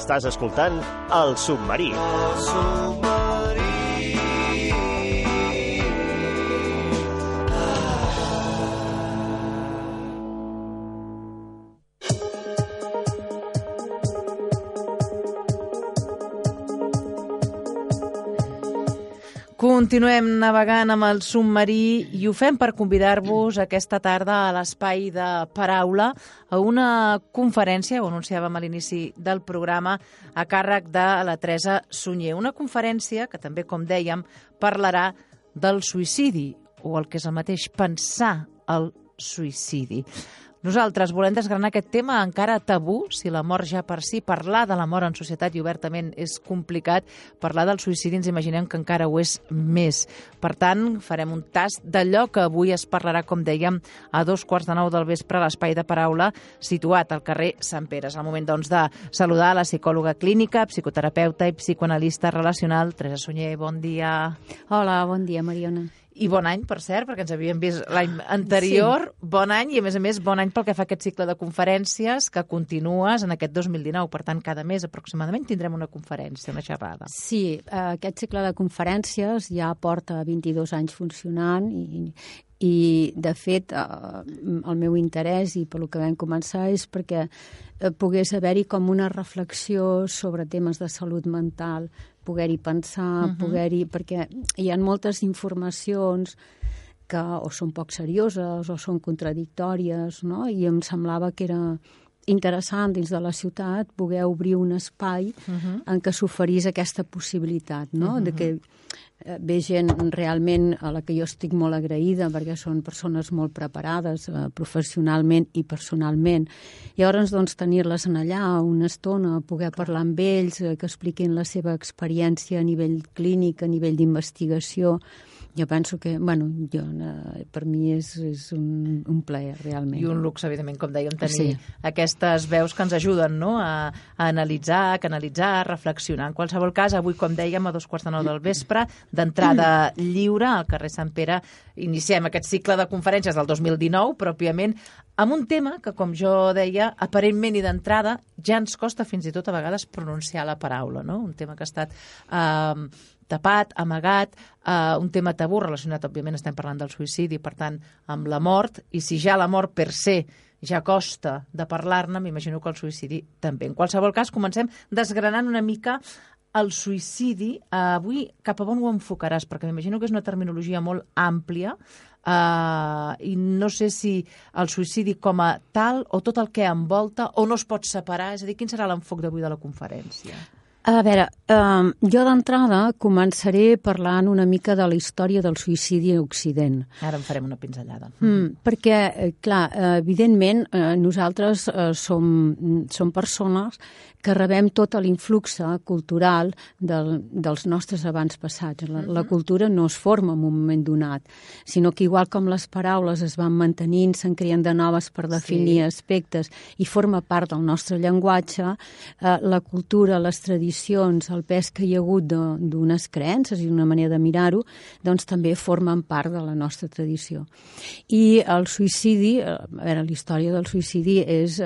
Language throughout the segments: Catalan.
Estàs escoltant El Submarí. Continuem navegant amb el submarí i ho fem per convidar-vos aquesta tarda a l'Espai de Paraula a una conferència, ho anunciàvem a l'inici del programa, a càrrec de la Teresa Sunyer. Una conferència que també, com dèiem, parlarà del suïcidi, o el que és el mateix, pensar el suïcidi. Nosaltres volem desgranar aquest tema encara tabú, si la mort ja per si, parlar de la mort en societat i obertament és complicat, parlar del suïcidi ens imaginem que encara ho és més. Per tant, farem un tast d'allò que avui es parlarà, com dèiem, a 2:15 del vespre a l'Espai de Paraula, situat al carrer Sant Pere. És el moment, doncs, de saludar la psicòloga clínica, psicoterapeuta i psicoanalista relacional, Teresa Sunyer. Bon dia. Hola, bon dia, Mariona. I bon any, per cert, perquè ens havíem vist l'any anterior. Sí. Bon any i, a més, bon any pel que fa a aquest cicle de conferències que continues en aquest 2019. Per tant, cada mes aproximadament tindrem una conferència, una xerrada. Sí, aquest cicle de conferències ja porta 22 anys funcionant i de fet, el meu interès i pel que vam començar és perquè pogués haver-hi com una reflexió sobre temes de salut mental, poder-hi pensar, perquè hi ha moltes informacions que o són poc serioses o són contradictòries, no? I em semblava que era interessant dins de la ciutat poder obrir un espai en què s'oferís aquesta possibilitat, no? De que ve gent realment a la que jo estic molt agraïda perquè són persones molt preparades professionalment i personalment. Llavors, doncs, tenir-les allà una estona, poder parlar amb ells, que expliquin la seva experiència a nivell clínic, a nivell d'investigació. Jo penso que, per mi és un plaer, realment. I un luxe, evidentment, com dèiem, tenir aquestes veus que ens ajuden, no?, a analitzar, a canalitzar, a reflexionar. En qualsevol cas, avui, com dèiem, a 2:15 del vespre, d'entrada lliure al carrer Sant Pere, iniciem aquest cicle de conferències del 2019, pròpiament, amb un tema que, com jo deia, aparentment i d'entrada ja ens costa fins i tot a vegades pronunciar la paraula, no? Un tema que ha estat tapat, amagat, un tema tabú relacionat, òbviament, estem parlant del suïcidi, per tant, amb la mort, i si ja la mort per se ja costa de parlar-ne, m'imagino que el suïcidi també. En qualsevol cas, comencem desgranant una mica el suïcidi. Avui, cap a on ho enfocaràs? Perquè m'imagino que és una terminologia molt àmplia i no sé si el suïcidi com a tal o tot el que envolta o no es pot separar. És a dir, quin serà l'enfoc d'avui de la conferència? A veure, jo d'entrada començaré parlant una mica de la història del suïcidi a Occident. Ara en farem una pinzellada. Perquè, clar, evidentment, nosaltres som persones que rebem tot l'influx cultural dels nostres avantpassats. La cultura no es forma en un moment donat, sinó que igual com les paraules es van mantenint, se'n creen de noves per definir aspectes i forma part del nostre llenguatge, la cultura, les tradicions, el pes que hi ha hagut d'unes creences i una manera de mirar-ho, doncs també formen part de la nostra tradició. I el suïcidi, a veure, la història del suïcidi és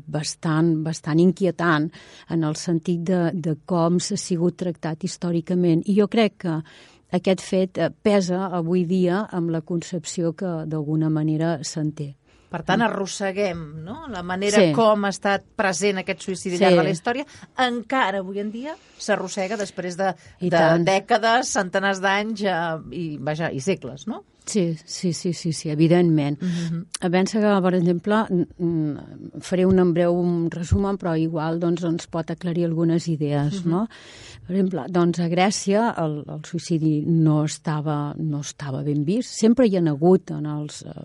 bastant inquietant en el sentit de com s'ha sigut tractat històricament. I jo crec que aquest fet pesa avui dia amb la concepció que d'alguna manera se'n té. Per tant, arrosseguem, no?, la manera com ha estat present aquest suïcidi al llarg de la història. Encara avui en dia s'arrossega després de dècades, centenars d'anys i segles, no? Sí, evidentment. Pensa que, per exemple, faré un breu resum, però igual ens pot aclarir algunes idees, no? Per exemple, doncs a Grècia el suïcidi no estava ben vist. Sempre hi ha hagut,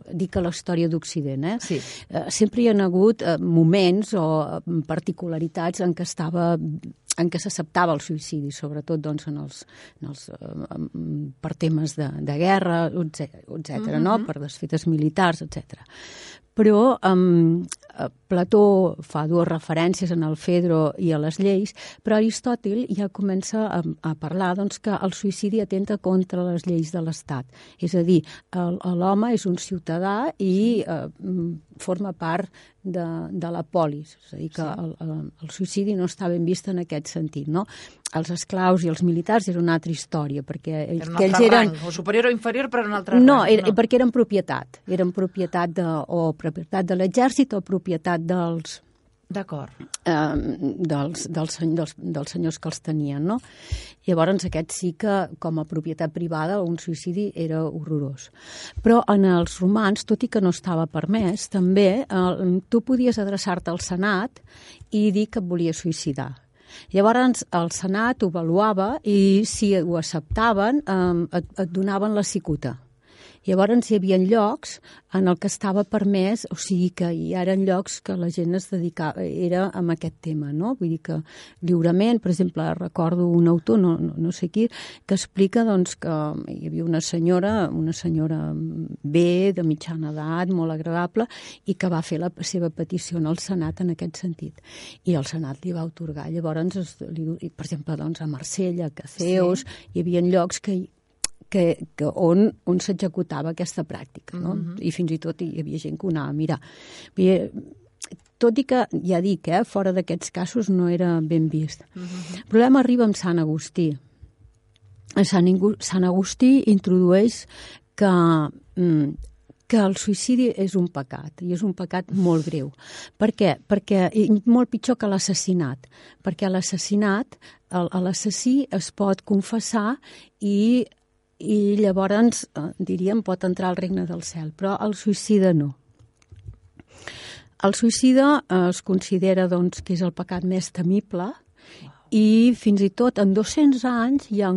dic a la història d'Occident, sempre hi ha hagut moments o particularitats en què s'acceptava el suïcidi, sobretot per temes de guerra, etcètera, no? Per desfetes militars, etcètera. Però Plató fa dues referències en el Fedro i a les lleis, però Aristòtil ja comença a parlar que el suïcidi atenta contra les lleis de l'Estat. És a dir, l'home és un ciutadà i forma part de la polis, és a dir, que el suïcidi no està ben vist en aquest sentit, no? Els esclaus i els militars era una altra història, perquè ells eren... Rang, o superior o inferior, però en un altre no, rang. perquè eren propietat o propietat de l'exèrcit o propietat dels... D'acord. Dels senyors que els tenien, no? Llavors, aquest sí que, com a propietat privada, un suïcidi era horrorós. Però en els romans, tot i que no estava permès, també tu podies adreçar-te al Senat i dir que et volies suïcidar. Llavors, el Senat ho avaluava i, si ho acceptaven, et donaven la cicuta. Llavors hi havia llocs en el que estava permès, o sigui que hi eren llocs que la gent es dedicava, era amb aquest tema, no? Vull dir que lliurement, per exemple, recordo un autor, no sé qui, que explica doncs, que hi havia una senyora bé, de mitjana edat, molt agradable, i que va fer la seva petició al Senat en aquest sentit. I el Senat li va atorgar. Llavors, per exemple, doncs, a Marsella, a Caceus, hi havia llocs on s'executava aquesta pràctica, no? I fins i tot hi havia gent que ho anava a mirar. Tot i que, ja dic, fora d'aquests casos no era ben vist. El problema arriba amb Sant Agustí. Sant Agustí introdueix que el suïcidi és un pecat, i és un pecat molt greu. Per què? Perquè molt pitjor que l'assassinat. Perquè l'assassinat, l'assassí es pot confessar i llavors, diríem, pot entrar al regne del cel, però el suïcida no. El suïcida es considera doncs, que és el pecat més temible i fins i tot en 200 anys hi ha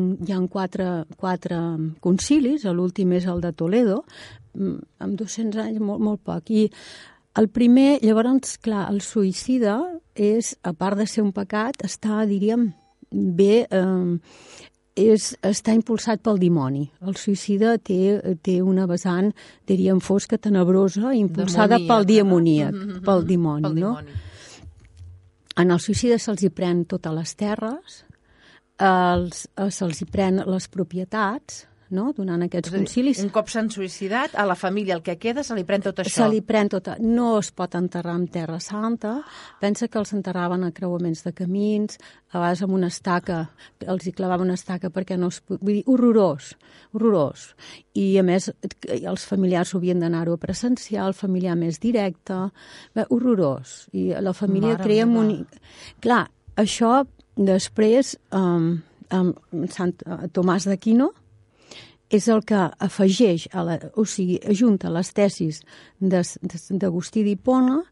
quatre concilis, l'últim és el de Toledo, en 200 anys molt poc. I el primer, llavors, clar, el suïcida és, a part de ser un pecat, està, diríem, bé... està impulsat pel dimoni. El suïcida té una vessant, diríem, fosca, tenebrosa, impulsada pel demoníac, pel dimoni, no? En el suïcida se'ls hi pren totes les terres, se'ls hi pren les propietats, no? Donant aquests concilis. Un cop s'han suïcidat, a la família el que queda se li pren tot això. Se li pren tot. No es pot enterrar en Terra Santa. Pensa que els enterraven a creuaments de camins, a vegades amb una estaca, els hi clavaven una estaca perquè no es... Vull dir, horrorós. I, a més, els familiars ho havien d'anar-ho a presenciar, el familiar més directe. Horrorós. I la família creia... Clar, això després, Tomàs d'Aquino, és el que afegeix, ajunta les tesis d'Agustí d'Hipona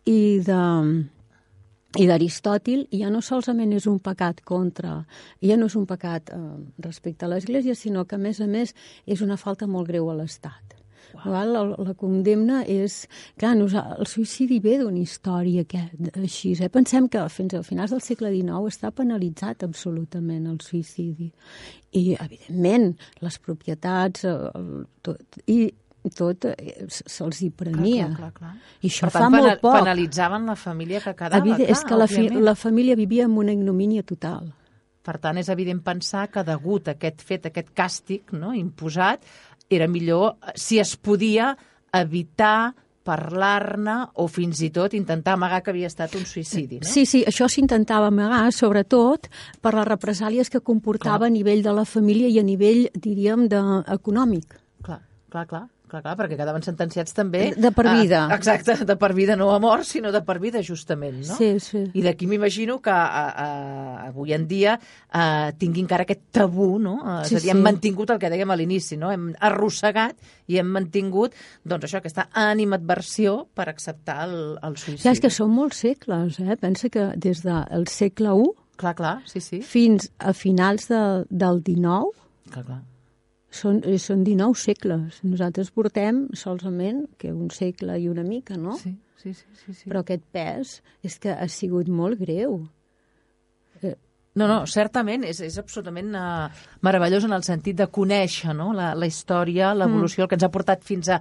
i d'Aristòtil, i ja no solament és un pecat ja no és un pecat respecte a l'Església, sinó que, a més, és una falta molt greu a l'Estat. Wow. La condemna és... Clar, el suïcidi ve d'una història així. Pensem que fins a finals del segle XIX està penalitzat absolutament el suïcidi. I, evidentment, les propietats tot se'ls hi prenia. Clar. I això fa molt poc. Penalitzaven la família que quedava, és que la família vivia en una ignomínia total. Per tant, és evident pensar que degut a aquest fet, aquest càstig, no, imposat, era millor, si es podia, evitar parlar-ne o fins i tot intentar amagar que havia estat un suïcidi, no? Sí, això s'intentava amagar, sobretot per les represàlies que comportava a nivell de la família i a nivell, diríem, econòmic. Clar, perquè quedaven sentenciats també... De per vida. Exacte, de per vida, no a mort, sinó de per vida, justament, no? Sí. I d'aquí m'imagino que avui en dia tingui encara aquest tabú, no? És a dir, hem mantingut el que dèiem a l'inici, no? Hem arrossegat i hem mantingut, doncs això, aquesta animadversió per acceptar el suïcidi. Ja, és que són molts segles, Pensa que des del segle I... Clar, sí. Fins a finals del XIX... Clar. Són 19 segles. Nosaltres portem solament que un segle i una mica, no? Sí. Però aquest pes és que ha sigut molt greu. No, certament, és absolutament meravellós en el sentit de conèixer, no? la història, l'evolució, el que ens ha portat fins a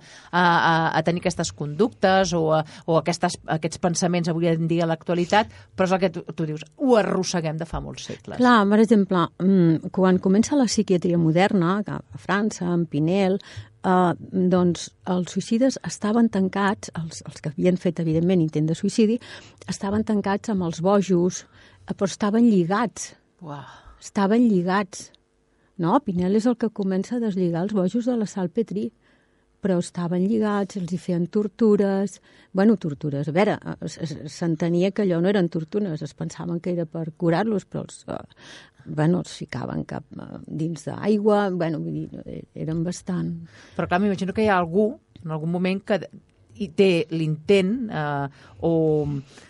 tenir aquestes conductes o aquests pensaments avui en dia a l'actualitat, però és el que tu dius, ho arrosseguem de fa molts segles. Clar, per exemple, quan comença la psiquiatria moderna, a França, en Pinel, doncs els suïcides estaven tancats, els que havien fet, evidentment, intent de suïcidi, estaven tancats amb els bojos, però estaven lligats. Uau. Estaven lligats. No, Pinel és el que comença a deslligar els bojos de la Salpetri, però estaven lligats, els hi feien tortures. Bueno, tortures. A veure, s'entenia que allò no eren tortures, es pensaven que era per curar-los, però els ficaven dins d'aigua, vull dir, eren bastant... Però clar, m'imagino que hi ha algú, en algun moment, que hi té l'intent o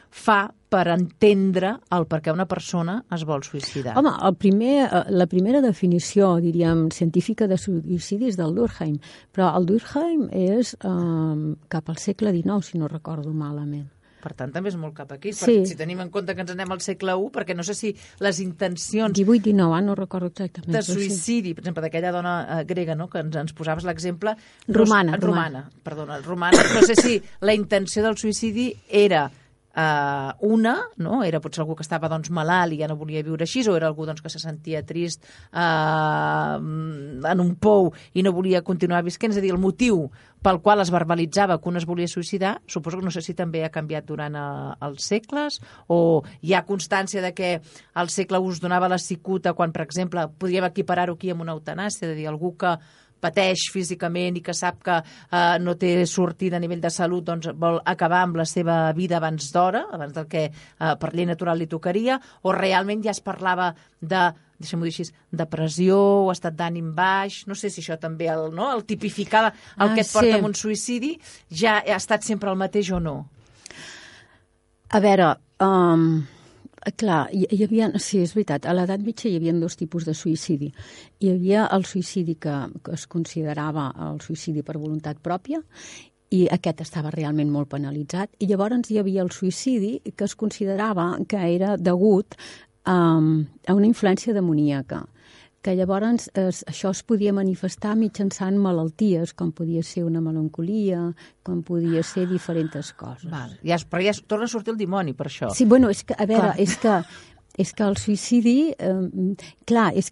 fa per entendre el per què una persona es vol suïcidar. Home, la primera definició, diríem, científica de suïcidi és del Durkheim, però el Durkheim és cap al segle XIX, si no recordo malament. Per tant, també és molt cap aquí. Sí. Si tenim en compte que ens anem al segle I, perquè no sé si les intencions... 18-19, no recordo exactament. De suïcidi, per exemple, d'aquella dona grega, no?, que ens posaves l'exemple... Romana. Romana. No sé si la intenció del suïcidi era no? Era potser algú que estava malalt i ja no volia viure així, o era algú que se sentia trist en un pou i no volia continuar visquent. És a dir, el motiu pel qual es verbalitzava que un es volia suïcidar, suposo que no sé si també ha canviat durant els segles, o hi ha constància de que al segle I es donava la cicuta quan, per exemple, podríem equiparar-ho aquí amb una eutanàsia, és a dir, algú que pateix físicament i que sap que no té sortida a nivell de salut, doncs vol acabar amb la seva vida abans d'hora, abans del que per llei natural li tocaria, o realment ja es parlava de, deixem-ho dir així, depressió o estat d'ànim baix. No sé si això també el tipificar el que et porta a un suïcidi ja ha estat sempre el mateix o no. A veure... Clar, hi havia... Sí, és veritat, a l'edat mitja hi havia dos tipus de suïcidi. Hi havia el suïcidi que es considerava el suïcidi per voluntat pròpia, i aquest estava realment molt penalitzat, i llavors hi havia el suïcidi que es considerava que era degut a una influència demoníaca, que llavors això es podia manifestar mitjançant malalties, com podia ser una melancolia, com podia ser diferents coses. Però ja torna a sortir el dimoni, per això. Sí, bueno, és que, a veure, és que el suïcidi, clar, és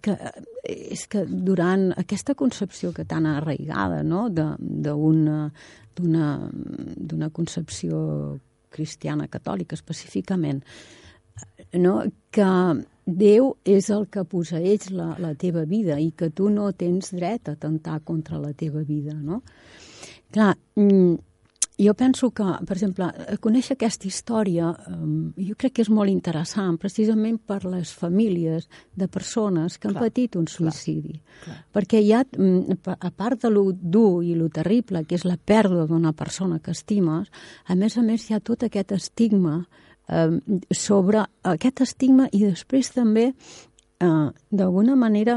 que durant aquesta concepció que tan arraigada, no?, d'una concepció cristiana catòlica específicament, no?, que Déu és el que posseeix la teva vida i que tu no tens dret a atemptar contra la teva vida, no? Clar, jo penso que, per exemple, conèixer aquesta història jo crec que és molt interessant precisament per les famílies de persones que han patit un suïcidi. Perquè hi ha, a part de lo dur i lo terrible, que és la pèrdua d'una persona que estimes, a més hi ha tot aquest estigma sobre aquest estigma, i després també, d'alguna manera,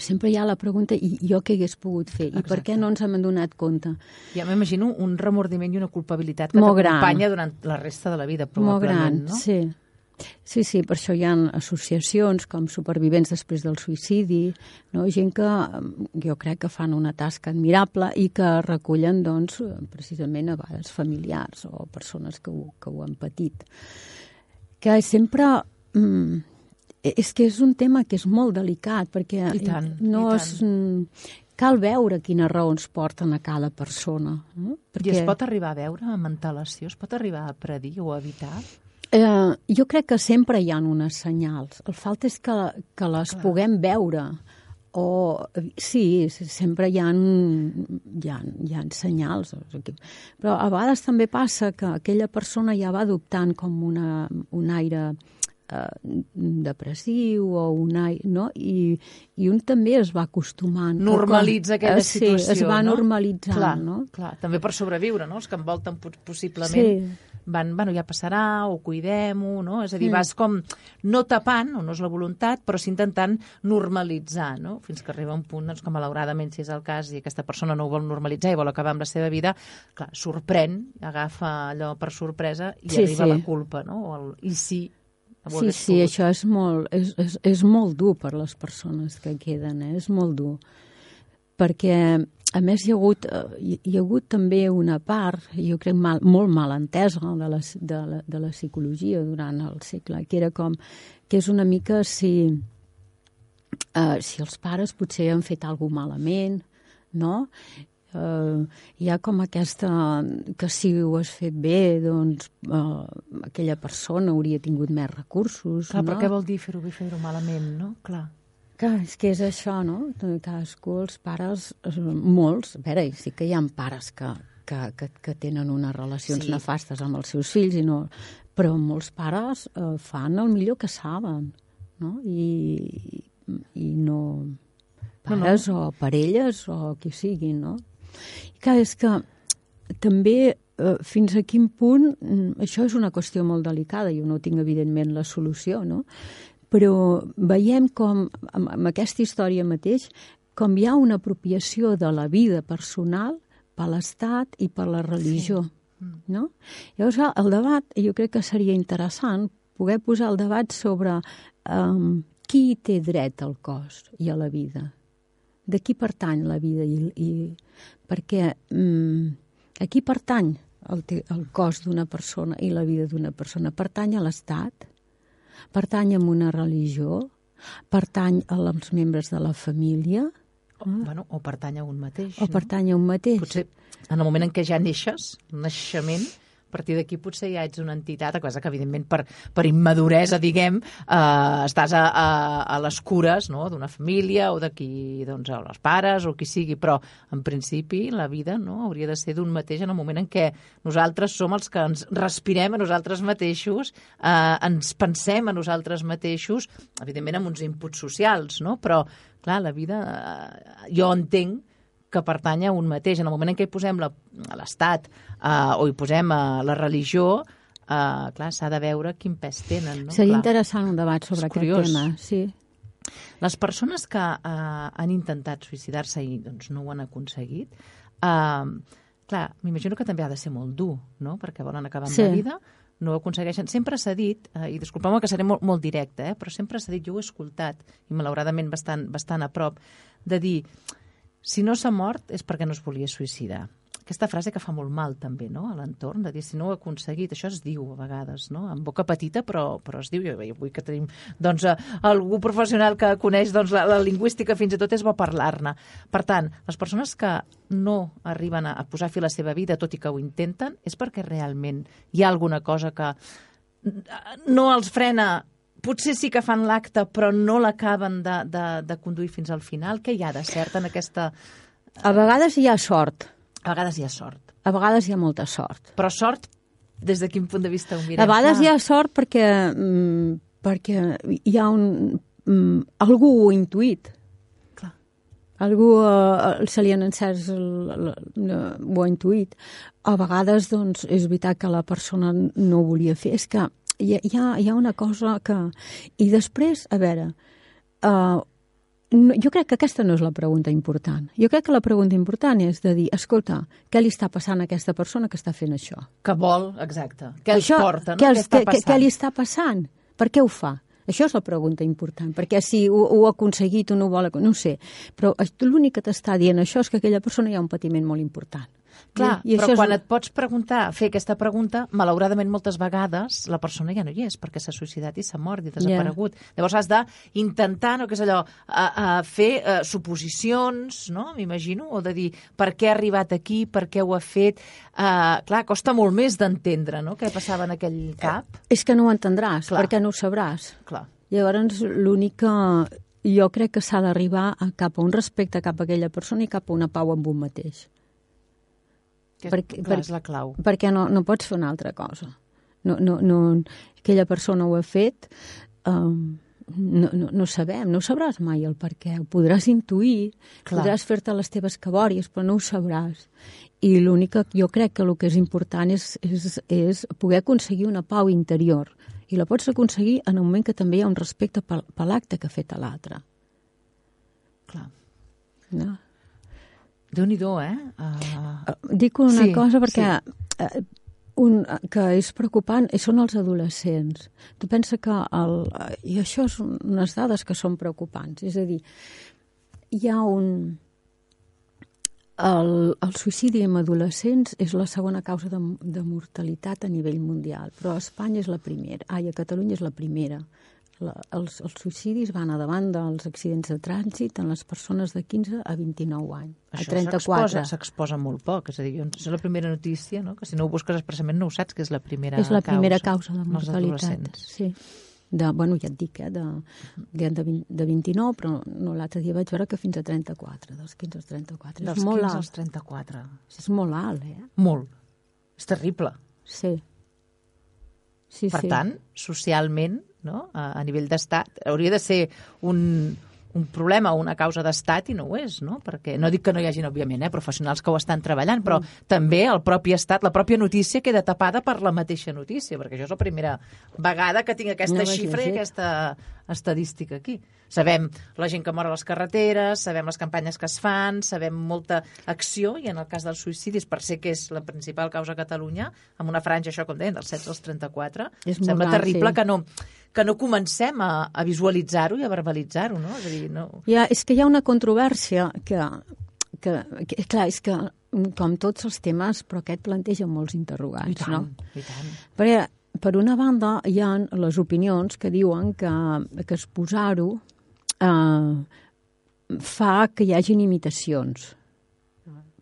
sempre hi ha la pregunta, i jo què hagués pogut fer? I per què no ens hem donat compte? Ja m'imagino un remordiment i una culpabilitat que t'acompanya durant la resta de la vida, probablement, no? Sí. Sí, per això hi ha associacions com Supervivents després del suïcidi, no? Gent que jo crec que fan una tasca admirable i que recullen, doncs, precisament a vegades familiars o persones que ho han patit. Que sempre... És que és un tema que és molt delicat, perquè cal veure quines raons porten a cada persona. No? I es pot arribar a veure amb antelació? Es pot arribar a predir o a evitar? Jo crec que sempre hi ha unes senyals. El falta és que les puguem veure. Sí, sempre hi ha senyals. Però a vegades també passa que aquella persona ja va adoptant com un aire depressiu o un aire, no? I un també es va acostumant. Normalitza aquella situació, sí, es va normalitzant, no? Clar, també per sobreviure, no? Els que envolten possiblement van, ja passarà, o cuidem-ho, no? És a dir, vas com no tapant, o no és la voluntat, però sí intentant normalitzar, no? Fins que arriba un punt, doncs, que malauradament, si és el cas, i aquesta persona no ho vol normalitzar i vol acabar amb la seva vida, clar, sorprèn, agafa allò per sorpresa i arriba la culpa, no? I sí. Sí, això és molt dur per les persones que queden, és molt dur. Perquè, a més, hi ha hagut també una part, jo crec molt mal entesa de la psicologia durant el segle, que era com, que és una mica si els pares potser han fet alguna cosa malament, no? Hi ha com aquesta, que si ho has fet bé, doncs aquella persona hauria tingut més recursos. Clar, no? però què vol dir fer-ho bé, fer-ho malament, no? Clar. Clar, és que és això, no? Cadascú, els pares, molts, a veure, sí que hi ha pares que tenen unes relacions nefastes amb els seus fills, però molts pares fan el millor que saben, no? I no pares o parelles o qui sigui, no? I clar, és que també fins a quin punt, això és una qüestió molt delicada, jo no tinc evidentment la solució, no? Però veiem com, amb aquesta història mateix, com hi ha una apropiació de la vida personal per l'Estat i per la religió. Sí. No? Llavors, el debat, jo crec que seria interessant poder posar el debat sobre qui té dret al cos i a la vida. De qui pertany la vida perquè a qui pertany el cos d'una persona i la vida d'una persona? Pertany a l'Estat? Pertany a una religió? Pertany als membres de la família? O pertany a un mateix. O pertany a un mateix. Potser en el moment en què ja neixes, naixement, a partir d'aquí potser ja ets una entitat, cosa que evidentment per immaduresa, diguem, estàs a les cures, no?, d'una família o d'aquí, doncs, els pares o qui sigui, però en principi la vida, no?, hauria de ser d'un mateix en el moment en què nosaltres som els que ens respirem a nosaltres mateixos, ens pensem a nosaltres mateixos, evidentment amb uns inputs socials, no?, però clar, la vida, jo entenc que pertany a un mateix. En el moment en què hi posem a l'Estat o hi posem la religió, clar, s'ha de veure quin pes tenen. No? Seria interessant un debat sobre aquest tema. Sí. Les persones que han intentat suïcidar-se i doncs, no ho han aconseguit, clar, m'imagino que també ha de ser molt dur, no?, perquè volen acabar amb la vida, no ho aconsegueixen. Sempre s'ha dit, i disculpeu-me que seré molt directe, però sempre s'ha dit, jo ho he escoltat, i malauradament bastant a prop, de dir, si no s'ha mort és perquè no es volia suïcidar. Aquesta frase que fa molt mal també, no?, a l'entorn, de dir si no ho he aconseguit, això es diu a vegades, no?, en boca petita, però es diu. Jo vull que tenim doncs, algú professional que coneix doncs, la lingüística, fins i tot és bo parlar-ne. Per tant, les persones que no arriben a posar fi a la seva vida, tot i que ho intenten, és perquè realment hi ha alguna cosa que no els frena. Potser sí que fan l'acte, però no l'acaben de conduir fins al final. Què hi ha de cert en aquesta... A vegades hi ha sort. A vegades hi ha sort. A vegades hi ha molta sort. Però sort, des de quin punt de vista ho mirem? A vegades hi ha sort perquè hi ha algú ho ha intuït. Clar. Algú se li han encès, ho ha intuït. A vegades, doncs, és veritat que la persona no ho volia fer. És que hi ha una cosa que... I després, a veure, jo crec que aquesta no és la pregunta important. Jo crec que la pregunta important és de dir, escolta, què li està passant a aquesta persona que està fent això? Que vol, exacte. Què els porta, no? Què està passant? Què li està passant? Per què ho fa? Això és la pregunta important, perquè si ho ha aconseguit o no ho vol, no ho sé. Però l'únic que t'està dient això és que aquella persona hi ha un patiment molt important. Clar, però quan et pots fer aquesta pregunta, malauradament moltes vegades la persona ja no hi és, perquè s'ha suïcidat i s'ha mort i desaparegut. Llavors has d'intentar, no, que és allò, fer suposicions, no?, m'imagino, o de dir per què ha arribat aquí, per què ho ha fet. Clar, costa molt més d'entendre, no?, què passava en aquell cap. És que no ho entendràs, perquè no ho sabràs. Clar. Llavors, l'únic que jo crec que s'ha d'arribar cap a un respecte cap a aquella persona i cap a una pau amb un mateix. Clar, és la clau. Perquè no pots fer una altra cosa. Aquella persona ho ha fet, no sabem, no sabràs mai el per què. Ho podràs intuir, podràs fer-te les teves cabòries, però no ho sabràs. I l'únic que jo crec que el que és important és poder aconseguir una pau interior. I la pots aconseguir en un moment que també hi ha un respecte per l'acte que ha fet a l'altre. Clar. No? Déu-n'hi-do, Dic una cosa perquè que és preocupant són els adolescents. Tu pensa que i això són unes dades que són preocupants. És a dir, hi ha el suïcidi en adolescents és la segona causa de mortalitat a nivell mundial, però a Espanya és la primera. A Catalunya és la primera. els suïcidis van a davant dels accidents de trànsit en les persones de 15 a 29 anys. Això a 34. s'exposa molt poc. És a dir, és la primera notícia, no? Que si no ho busques expressament no ho saps, que és la primera causa. És la primera causa de als mortalitat. adolescents. Sí. Bueno, ja et dic, de 29, però no, l'altre dia vaig veure que fins a 34, dels 15 als 34. Dels 15 als 34. És molt alt, Molt. És terrible. Sí. Per tant, socialment, no? A nivell d'estat, hauria de ser un problema o una causa d'estat i no ho és, no? Perquè no dic que no hi hagin, òbviament, professionals que ho estan treballant, però també el propi estat, la pròpia notícia queda tapada per la mateixa notícia, perquè això és la primera vegada que tinc aquesta xifra i aquesta estadística aquí. Sabem la gent que mor a les carreteres, sabem les campanyes que es fan, sabem molta acció, i en el cas dels suïcidis, per ser que és la principal causa a Catalunya, amb una franja, això com deien, dels 16 als 34, sembla terrible que no comencem a visualitzar-ho i a verbalitzar-ho, no? És a dir, no... És que hi ha una controvèrsia que clar, és que com tots els temes, però aquest planteja molts interrogants, no? I tant. Perquè, per una banda, hi ha les opinions que diuen que exposar-ho fa que hi hagin imitacions.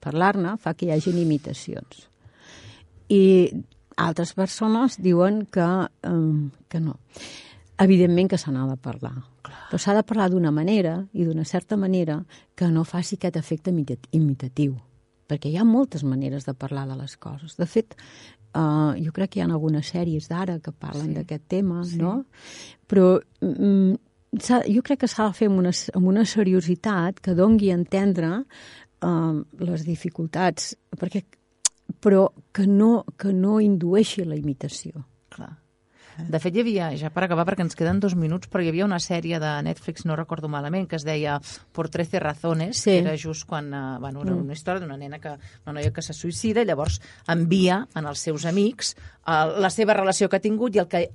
Parlar-ne fa que hi hagin imitacions. I altres persones diuen que no. Evidentment que se n'ha de parlar. Però s'ha de parlar d'una manera i d'una certa manera que no faci aquest efecte imitatiu. Perquè hi ha moltes maneres de parlar de les coses. De fet, jo crec que hi ha algunes sèries d'ara que parlen d'aquest tema, no? Però jo crec que s'ha de fer amb una seriositat que dongui a entendre les dificultats, però que no indueixi la imitació. Clar. De fet, hi havia, ja per acabar, perquè ens queden 2 minuts, però hi havia una sèrie de Netflix, no recordo malament, que es deia Por 13 razones, que era just quan, era una història d'una nena, una noia que se suïcida, i llavors envia als seus amics la seva relació que ha tingut i el que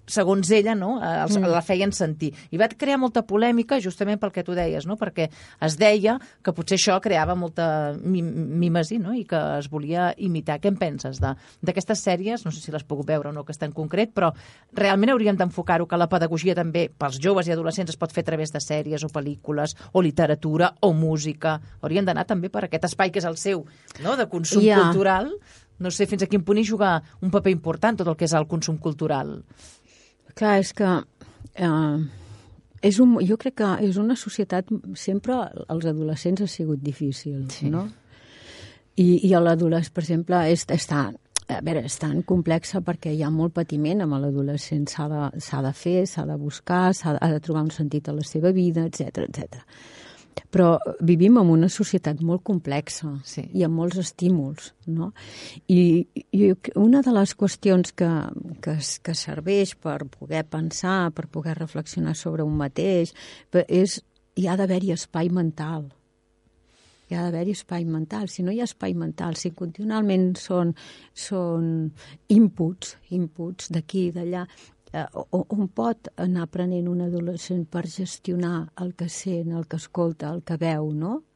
segons ella, no, la feien sentir. I va crear molta polèmica justament pel que tu deies, no? Perquè es deia que potser això creava molta mímesi, no? I que es volia imitar. Què en penses d'aquestes sèries? No sé si les puc veure o no, aquesta en concret, però realment hauríem d'enfocar-ho que la pedagogia també pels joves i adolescents es pot fer a través de sèries o pel·lícules o literatura o música. Hauríem d'anar també per aquest espai que és el seu, no?, de consum cultural. No sé fins a quin punt hi juga un paper important tot el que és el consum cultural. Clar, és que jo crec que és una societat, sempre als adolescents ha sigut difícil, no? I l'adolescent, per exemple, és tan complexa perquè hi ha molt patiment amb l'adolescent, s'ha de fer, s'ha de buscar, ha de trobar un sentit a la seva vida, etc. Però vivim en una societat molt complexa i amb molts estímuls, no? I una de les qüestions que serveix per poder pensar, per poder reflexionar sobre un mateix, és hi ha d'haver-hi espai mental. Hi ha d'haver-hi espai mental. Si no hi ha espai mental, si continualment són inputs d'aquí i d'allà, on pot anar aprenent un adolescent per gestionar el que sent, el que escolta, el que veu, no?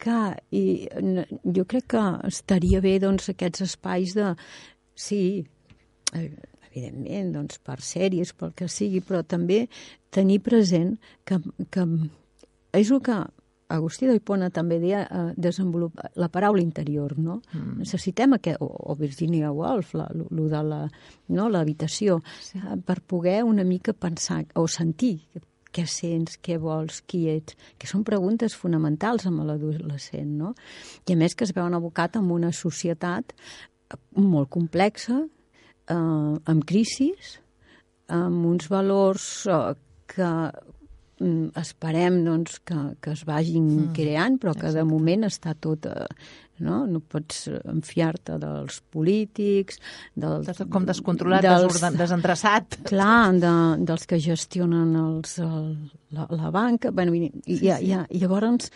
Clar, i jo crec que estaria bé, doncs, aquests espais de... Sí, evidentment, doncs, per sèries, pel que sigui, però també tenir present que és el que Agustí d'Hipona també deia, desenvolupar la paraula interior, no? Necessitem o Virginia Woolf, lo de l'habitació, per poder una mica pensar o sentir què sents, què vols, qui ets, que són preguntes fonamentals amb l'adolescent, no? I a més que es veuen abocat en una societat molt complexa, amb crisis, amb uns valors que esperem, doncs, que es vagin creant, però que de moment està tot... No pots enfiar-te dels polítics... Com descontrolat, desendreçat. Clar, dels que gestionen la banca. Llavors,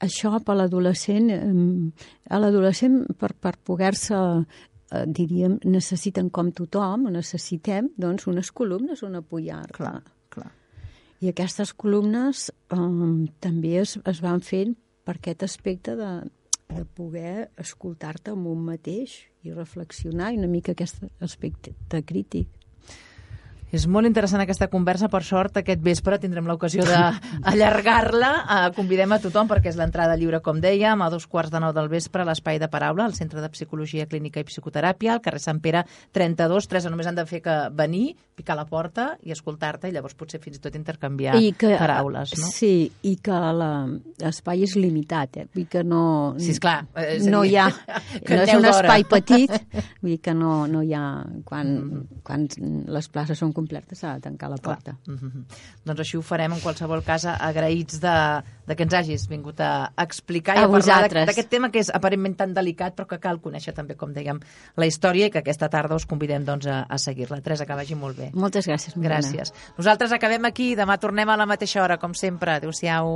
això per l'adolescent, per poder-se, diríem, necessiten com tothom, necessitem, doncs, unes columnes on apoyar-te. Clar. I aquestes columnes també es van fent per aquest aspecte de poder escoltar-te amb un mateix i reflexionar, i una mica aquest aspecte crític. És molt interessant aquesta conversa. Per sort, aquest vespre tindrem l'ocasió d'allargar-la. Convidem a tothom, perquè és l'entrada lliure, com dèiem, a 2:45 del vespre, a l'Espai de Paraula, al Centre de Psicologia Clínica i Psicoteràpia, al carrer Sant Pere 32. Teresa, només han de fer que venir, picar a la porta i escoltar-te, i llavors potser fins i tot intercanviar paraules, no? Sí, i que l'espai és limitat, Vull dir que no... Sí, esclar. No hi ha... No és un espai petit, vull dir que no hi ha... Quan les places són complertes s'ha de tancar la porta. Doncs així ho farem, en qualsevol cas, agraïts de que ens hagis vingut a explicar i a parlar d'aquest tema que és aparentment tan delicat, però que cal conèixer també, com dèiem, la història, i que aquesta tarda us convidem doncs, a seguir-la. Teresa, que vagi molt bé. Moltes gràcies, Mariana. Gràcies. Nosaltres acabem aquí, demà tornem a la mateixa hora, com sempre. Adéu-siau.